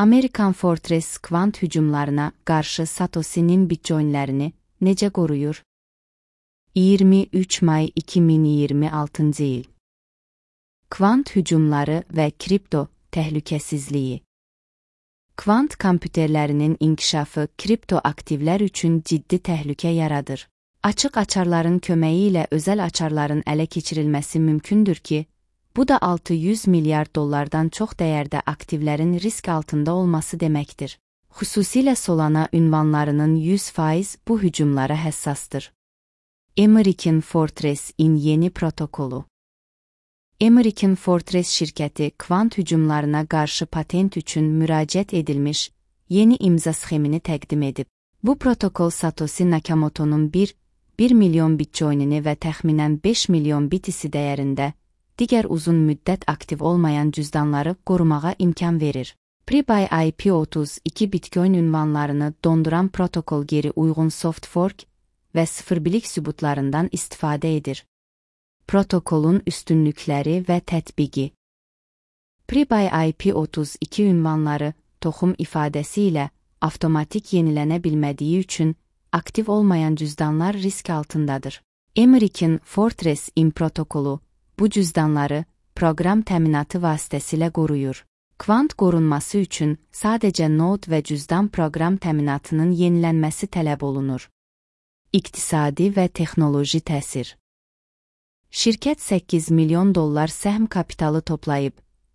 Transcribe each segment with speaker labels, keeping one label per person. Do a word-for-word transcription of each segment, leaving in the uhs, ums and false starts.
Speaker 1: American Fortress kvant hücumlarına qarşı Satoshi'nin bitcoinlərini necə qoruyur? iyirmi üç may iki min iyirmi altıncı il. Kvant hücumları və kripto təhlükəsizliyi. Kvant kompüterlərinin inkişafı kripto aktivlər üçün ciddi təhlükə yaradır. Açıq açarların köməyi ilə özəl açarların ələ keçirilməsi mümkündür ki, bu da altı yüz milyar dollardan çox dəyərdə aktivlərin risk altında olması deməkdir. Xüsusilə Solana ünvanlarının yüz faiz bu hücumlara həssasdır. American Fortress-in yeni protokolu. American Fortress şirkəti kvant hücumlarına qarşı patent üçün müraciət edilmiş yeni imza sxemini təqdim edib. Bu protokol Satoshi Nakamoto'nun bir milyon bitcoinini və təxminən beş milyon B T C dəyərində digər uzun müddət aktiv olmayan cüzdanları qorumağa imkan verir. Pre-buy I P otuz iki bitcoin ünvanlarını donduran protokol geri uyğun soft fork və sıfırbilik sübutlarından istifadə edir. Protokolun üstünlükləri və tətbiqi. Pre-buy I P otuz iki ünvanları toxum ifadəsi ilə avtomatik yenilənə bilmədiyi üçün aktiv olmayan cüzdanlar risk altındadır. American Fortress-in protokolu bu cüzdanları proqram təminatı vasitəsilə qoruyur. Kvant qorunması üçün sadəcə node və cüzdan proqram təminatının yenilənməsi tələb olunur. İqtisadi və texnoloji təsir. Şirkət səkkiz milyon dollar səhm kapitalı toplayıb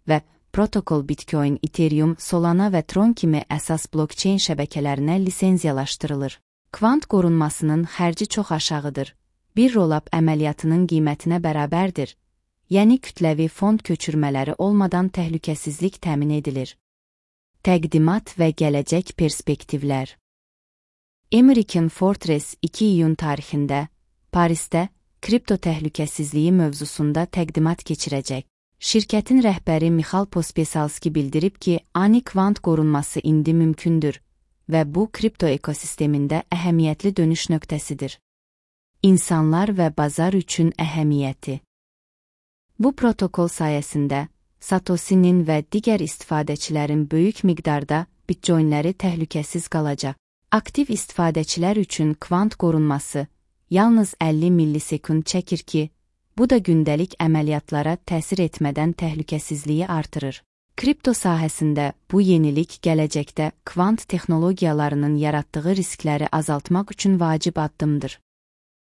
Speaker 1: və protokol Bitcoin, Ethereum, Solana və Tron kimi əsas blockchain şəbəkələrinə lisenziyalaşdırılır. Kvant qorunmasının xərci çox aşağıdır. Bir rollup əməliyyatının qiymətinə bərabərdir. Yəni kütləvi fond köçürmələri olmadan təhlükəsizlik təmin edilir. Təqdimat və gələcək perspektivlər. American Fortress iki iyun tarixində Parisdə kripto təhlükəsizliyi mövzusunda təqdimat keçirəcək. Şirkətin rəhbəri Michal Pospisalski bildirib ki, ani kvant qorunması indi mümkündür və bu kripto ekosistemində əhəmiyyətli dönüş nöqtəsidir. İnsanlar və bazar üçün əhəmiyyəti. Bu protokol sayəsində Satoshi'nin və digər istifadəçilərin böyük miqdarda bitcoinləri təhlükəsiz qalacaq. Aktiv istifadəçilər üçün kvant qorunması yalnız əlli millisekund çəkir ki, bu da gündəlik əməliyyatlara təsir etmədən təhlükəsizliyi artırır. Kripto sahəsində bu yenilik gələcəkdə kvant texnologiyalarının yaratdığı riskləri azaltmaq üçün vacib addımdır.